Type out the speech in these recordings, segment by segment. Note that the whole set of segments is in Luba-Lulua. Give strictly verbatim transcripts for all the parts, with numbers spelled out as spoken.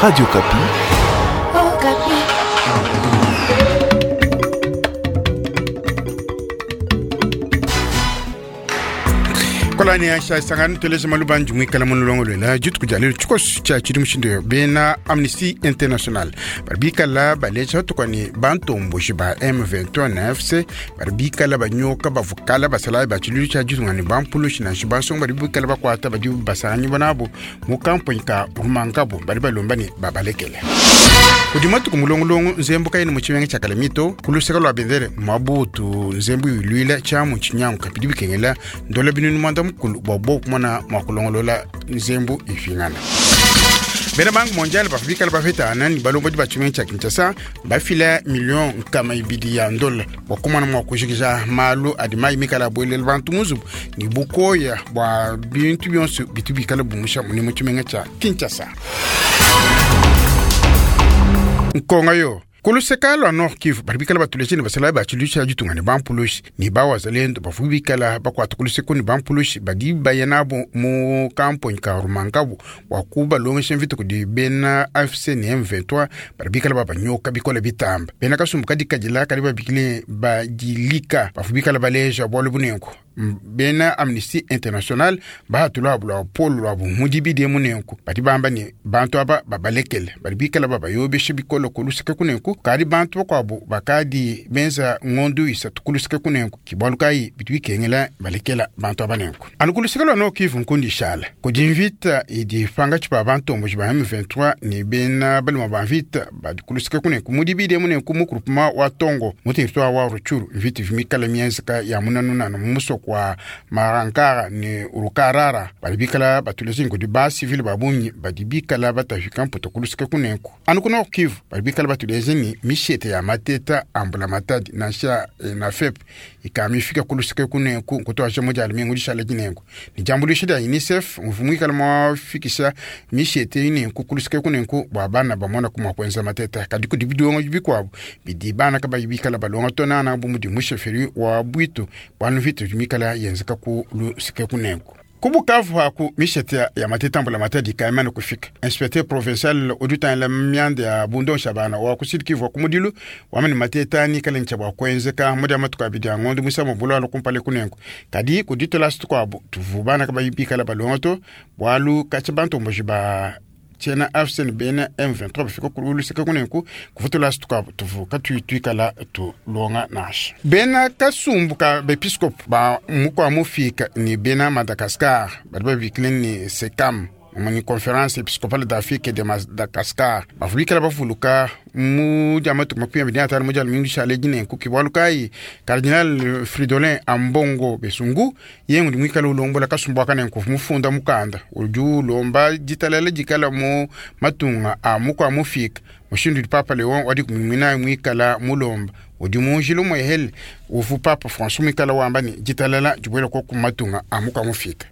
Radio Okapi. Oh, Okapi. Kolani ya sangani teleje malubanji mwikala mulongolwela dituku dia lelo tshikoso tshia tshidi mushindu bena Amnesty International bari bikala baleja batukwani bantomboji ba M vingt-et-un na F C bari bikala banyoka bavukala basalayi ba tshiluilu tshia ditunga ne bampulushi nansha bansonga bari bikala bakwata badi basanganyi bonabo mu kamponyi ka Rumangabo bari balomba ne babalekele. Kudi matuku mulongolongo nzembo kayini mu tshimenga tshia Kalemie ku luseke lua bendele Mabutu nzembo iluila tshiamu tshinyanguka bidi bikengela ndola binunu mwanda mukulu bua bobu kumona mua kulongolola nzembo ifingana. Bena Banque mondiale bavua bikala bapetana ne balombodi ba tshimenga tshia Kinshasa bafila million nkama ibidi ya ndola bua kumona mua kujikija malu adi mayi mikala abuelela bantu mu nzubu ne bukoya bua bintu bionso bitu bikala bumusha mune mu tshimenga tshia Kinshasa. Nkonga yo kuluseka lwa Nord Kivu bari bikala batuleje ne basala ba tshiluilu tshia ditunga ne bampulushi ne bawazalendo bavua bikala bakuata kuluseka ne bampulushi badi baya nabo mu kamponyi ka Rumangabo bua kubalongesha mvita kudi bena A F C ne M vingt-trois bari bikala babanyoka bikole bitamba. Bena kasumbu kadi kadila kadi babikile badilika bavua bikala baleja bualu bunenku. Bena Amnesty International bahatula lwa polo lwa mudibidi munenku badi bamba ne bantu aba babalekele badi bikala babayobesha bikolo kuluseka kunenku kadi bantu bakuabu bakadi benza ngondu isatu kuluseka kunenku kibalu kayi bitu bikengela balekela bantu aba nenku. Anu kuluseka lwa Nord Kivu nkundi shala kudi mvita idi pangatshi pa bantomboji ba M vingt-trois ne bena baluma ba mvita badi kuluseka kunenku mudibidi munenku mu groupement wa Tongo mu territoire wa Rutshuru mvita ivimikala mienzeka ya munanunanu mu musoko wa Marankara ne Urukarara badi bikala batulezi kudi ba civil ba bungi badi bikala batafika mputa kuluseka kunenku. Anu ku Nord Kivu badi bikala batulezi ni mishete ya mateta ambula matadi nansha na F E P ikamifika kuluseka kunenku kutoa moja alimengu dishala dinenku ni jambulisho dia UNICEF mvumwikala mwafikisha mishete inenku kuluseka kunenku bwa bana bamona kumwa kwenza mateta kadi kudi bidongo bikwabo bidi bana kabayi bikala balonga tonana bu mudi musheferi wa bwitu bwanu vitu mikala yenzeka ku luseka kunenku. Kubukavu haku mishete ya mateta mbula matadi kaimana kufika. Inspecteur provincial oduta la myande ya Bundo Shabana wa ku Sud Kivu kumudilu wamani mateta ni kale ncha bwa kwenzeka muda matuka bidi ya ngondo musa mbulo alo kumpale kunenku. Kadi kuditola situkwabu tuvubana kabayibika la balonto bwalu kachibantu mbojiba tshena A F C N bena M vingt-trois bafika ku luseka kunenku kuvutola situka tuvuka tuituikala tulonga nasha. Bena kasumbu ka bepiskopu ba mukwa mufika ni bena Madagascar badi babikile ni SECAM ni conférence épiscopale d'Afrique et de Madagascar bavubikala bavuluka mu diamatu makumi abiri na atanu mu dia lumingu dishale dinenku kibualu kayi Cardinal Fridolin Ambongo Besungu ye ngudi muikala ulombola kasumbu aka nenku mufunda mukanda udi ulomba ditalala dikala mu matunga a mukua mufika mushindu udi Papa Leon wadi kumimina muikala mulomba udi munjila muehele uvu Papa François muikala wamba ni ditalala dibuela koku matunga a mukua mufika.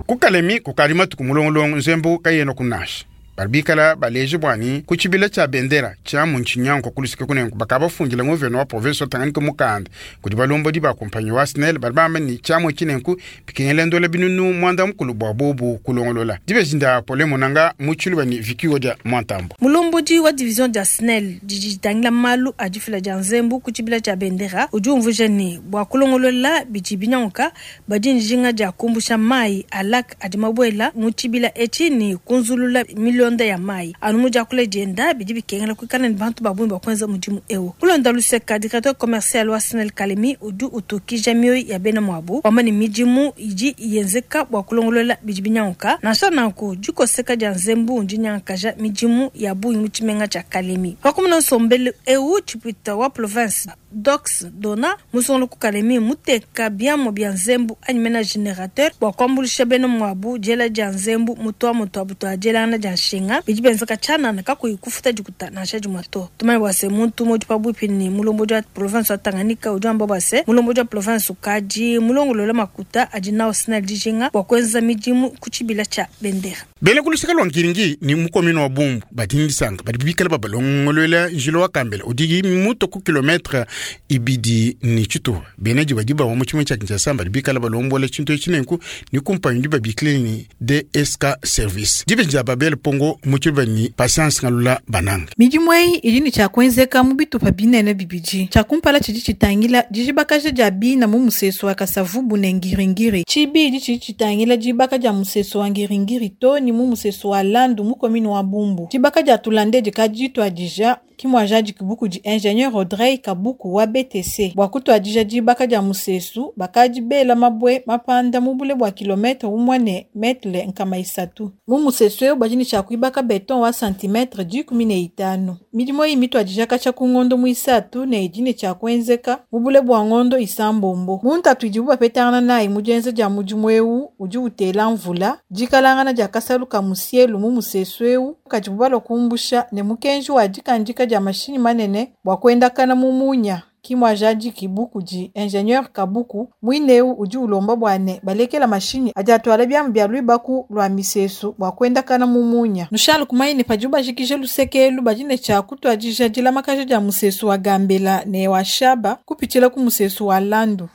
Kukalemi kukali matuku mulongolongo nzembo kayena kunasha. Bari bikala baleje bwani ku tshibila tshia bendera tshia mu ntshinyanko kulusika kunenku bakabafundila nguveno wa province wa Tanganyika mukanda kudi balombodi ba kompanyi wa SNEL bari bamba ni tshiamu tshinenku bikengela ndola binunu mwanda mukulu bua bobu kulongolola. Dibezinda Pole Munanga mu tshiluba ni Vicky Odia Mwantambo. Mulombodi wa division dia SNEL didi ditangila malu a difila dia nzembo ku tshibila tshia bendera udi umvuija ne bua kulongolola bidi binyanguka badi njinga dia kumbusha mayi a lac adi mabuela mu tshibila etshi ne kunzulula milonda ya mayi anu mu diakula dienda bidi bikengela kuikala ne bantu ba bungi ba kuenza mudimu eu. Kulonda luseka directeur commercial wa SNEL Kalemi udi utukija mioyo ya bena muabu wamba ne midimu idi yenzeka bua kulongolola bidi binyanguka nansha nanku dikoseka dia nzembu ndinyankaja midimu ya bungi mu tshimenga tshia Kalemi. Pakumuna nsombelu eu tshipita wa province Dox Dona musongolo ku Kalemi muteka biamu bia nzembu anyi mena générateur bua kuambuluisha bena muabu diela dia nzembu mutua mutua butua dielangana dia nshinga bidi benzeka tshianana kakuyi kufuta dikuta nansha dimue to. Tumanye bua se muntu umue udi pabuipi ne mulombodi wa province wa Tanganyika udi wamba bua se mulombodi wa province ukadi mulongolola makuta adi nawo SNEL dijinga bua kuenza midimu ku tshibila tshia bendera. Bena kuluseka lwa Ngiringi ni mukomino wa Bumbu badi ndisanga badi bikala babalongolola njila wa Kambela udi muto ku kilometre ibidi ni tshitupa benaji badi bawa mu tshimenga tshia Kinshasa badi bikala balombola tshintu etshi nenku ni kumpanyi di babikile ni D S K Service dibeji dia Babel Pongo mu tshiluba ni Patience Ngalula Bananga. Midimu eyi idi ne tshiakuenzeka mu bitupa binene bibidi. Tshiakumpala tshidi tshitangila dijibakaja dia bina mu musesu wa Kasavubu ne Ngiringiri. Tshibidi tshidi tshitangila dibaka dia musesu wa Ngiringiri to ni mu musesu wa Landu mu commune wa Bumbu. Dibaka dia Tulande dikadi dituadija kimwajadi kibuku di ingénieur Audrey Kabuku wa B T C. Bua kutuadija dibaka dia musesu bakadi bela mabwe mapanda mu bule bua kilometre umwe ne metre nkama isatu. Mu musesu eu badi ne tshiakuibaka beton wa santimetre dikumi ne itanu. Midimu eyi mituadija katshia ku ngondo muisatu ne idi ne tshiakuenzeka mu bule bua ngondo isambombo. Mu ntatu idibu bapetangana nayi mu dienza dia mudimu eu udi utela mvula, dikalangana dia kasalu ka musielu mu musesu eu kadibu balua kumbusha ne mukenji wa dikandika dia mashinyi manene bua kuendakana mu munya. Kimwajadi kibuku di ingénieur Kabuku mwineu udi ulomba bua ne balekela mashinyi adi atwala biamu bia luibaku lua misesu bua kuendakana mu munya. Nushale kumanya ne padibu bajikije lusekelu badi ne tshia kutuadija dilamakaja dia musesu wa Gambela ne wa Shaba kupitshila ku musesu wa Landu.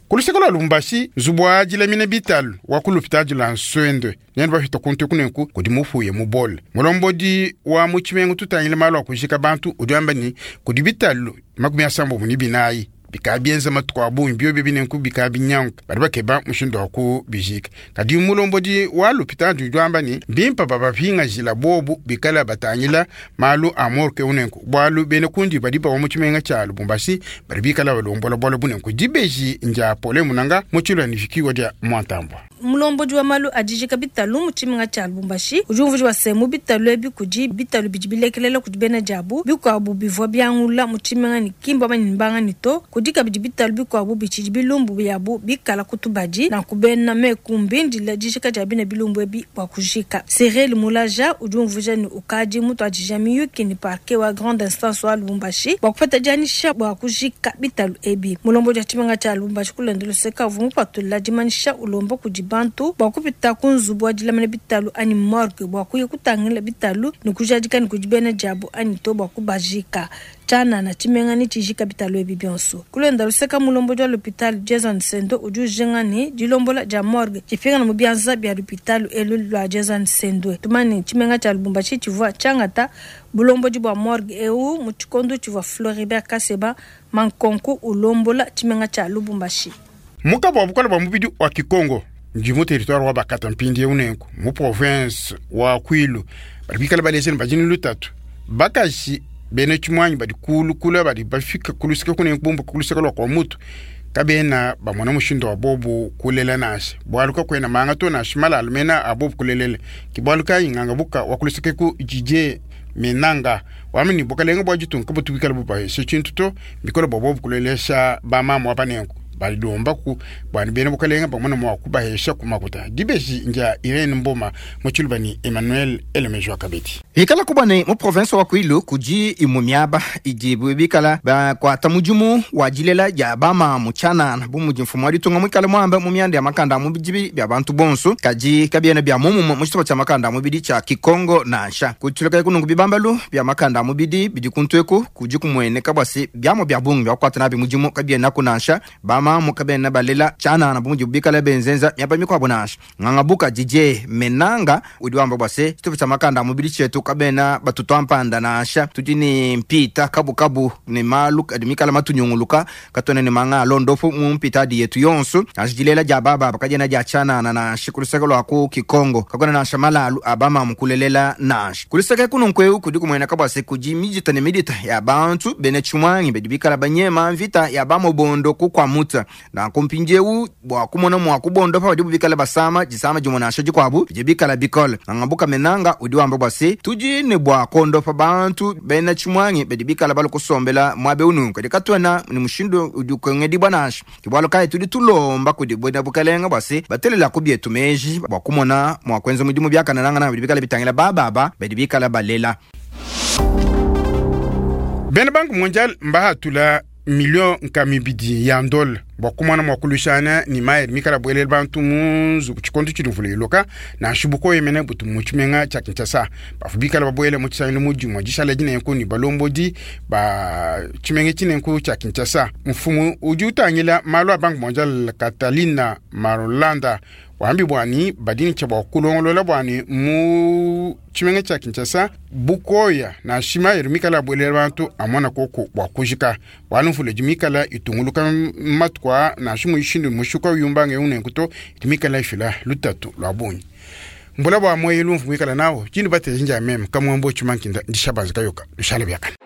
Kuluseko lwa Lubumbashi nzubu dilamina bitalu wa ku lupitadi lwa Nswende nenu bafita kuntu kunenku kudi mufuye mu bole. Mulombodi wa mu tshimenga tutangile malu a kujika bantu udi wamba ni kudi bitalu makumi asambo ni binayi bikabienza matuku a bungi bio binenku bikabinyanka badi bakeba mushindu wa kubijika. Kadi mulombodi wa lupitadi udi wamba ni bimpa babapingajila bobu bikala batangila malu a morke unenku bwalu bene kundi badi bawa mu tshimenga tshia Lubumbashi badi bikala balombola bwalo bunenku dibeji nja pole munanga mu tshilwa ni fikiwa dia Mwantambwa. Mulombodi wa malu a dijika bitalu mu tshimenga tshia Lubumbashi udi umvuija se mu bitalu ebi kudi bitalu bidi bilekelela kudi bena diabu bikuabu bivua biangula mu tshimenga ni kimba bani ni to kudi kabidi bitalu bikuabu bitshidi bilumbu byabu bikala kutubadi na kubena mekumbi ndila dijika dia bina bilumbu ebi bua kujika. Cyril Mulaja udi umvuija ni ukadi mutu adija miyuki ni parquet wa grande instance wa Lubumbashi bua kupeta dianyisha bua kujika bitalu ebi. Mulombodi wa tshimenga tshia Lubumbashi kulenda luseka uvua mupatula dimanyisha ulomba kudi bantu bua kupita ku nzubu wa dilamina bitalu anyi morgue bua kuya kutangila bitalu ni kujadika ni kudi bena diabu anyi to bua kubajika. Tshana na tshimenga ni tshijika bitalu ebi bionso. Kulenda luseka mulombodi wa l'hôpital Jason Sendo udi ujinga ni dilombola dia morgue tshipingana mu bianza bia l'hôpital elu lua Jason Sendo. Tumani tshimenga tshia Lubumbashi tshivua tshiangata bulombodi bua morgue eu mu tshikondo tshivua Floribert Kaseba Mankonku ulombola tshimenga tshia Lubumbashi. Mukabo wa bukola bwa mubidi wa Kikongo ndi mu territoire wa Bakata mpindi unenku mu province wa Kwilu badi bikala baleseni bajini lutatu bakashi bene tshimwanyi badi kulu kula badi bafika kulusika kunenku bumbu kulusika lwa kwa mutu kabena bamona mushindo wa bobu kulela nashe bwalu kakwena manga to nashe malalu mena abobu kulelele kibwalu kayinganga buka wakulusika ku jije menanga wamini bukalenga bwa jitunga kabutu bikala bubaheshe tshintu to bikola bobu kulelesha bamama wapanenku balilomba ku bwani bene bukalenga bamona mwa kubahesha kumakuta dibeji nja Irene Mboma mu tshiluba ni Emmanuel Elemejwa Kabeti. Ikala kubane mu province wa Kwilu kudi imumiaba idi bikala ba kwata mudimu wa dilela dia bama muchana bu mudi mfumu wa ditunga mwikala mwamba mu mianda ya makanda mu bidibi bya bantu bonso kadi kabiena bya mumu mu tshitupa tshia makanda mubidi tshia Kikongo nansha kutuluka kunungu bibambalu bya makanda mubidi bidi kuntweku kudi kumweneka bwase byamo bya bungi bya kwata nabi mudimu kabiena kunansha bama mukabena balela chana na bumuji bikala benzenza myaba mikwabo nansha ngangabuka D J Menanga udi wamba bwase tshitupa tshia makanda mubidi chetu kabena batutu ampanda nansha tudi ni mpita kabu kabu ni malu adi mikala matunyunguluka katone ni manga londofu mu mpita di yetu yonso nansha dia baba bakajena dia chana na nansha kulusaka lwa ku Kikongo kakona nansha malalu abama mukulelela nansha kulusaka kununkwe kudi kumwena kabwase kuji mijita ne midita ya bantu bene chumwangi bedi bikala banyema mvita ya bamobondo kukwamuta na kumpinjewu bwa kumona mwa kubondo pa badibu bikala basama jisama jimona nasha jikwabu bije bikala bikole ngangabuka Menanga udi wamba bwase tuji ne bwa kondo pa bantu bena chimwangi bedi bikala balokusombela mwabe unu kadi katwana ni mushindo udi kwengedi bwanasha kibwalo kai tudi tulomba kudi bwena bukalenga bwase batelela kubyetu meji bwa kumona mwa kwenza mudimu byakana nanga na bedi bikala bitangila bababa bedi bikala balela. Bena Banque Mondiale mbahatula million nkamibidi ya ndol Bua kumona mua kuluishana ne mayi mikala buelele bantu mu nzubu tshikondo tshidi mvula iloka nansha bukoyemene butu mu tshimenga tshia Kinshasa. Bavua bikala babuele mu tshisangilu mu dimue dishala dinenku ne balombodi ba tshimenga tshinenku tshia Kinshasa. Mfumu udi utangila malu a Banque mondiale Catalina Marolanda wambi bwani badi ne tshia bua kulongolola bwani mu tshimenga tshia Kinshasa bukoya nansha mayi mikala abuelela bantu amona koko bua kujika bualu mvula idi mikala itunguluka matuku aa nansha mushindu mushuka uyumbanga eu nenku to idi mikala ifila lutatu lua bungi mbula bua moyi lumvu muikala nawo tshindi bateja njia meme kamwambo tshimankinda ndishabanza kayoka lushala biakana.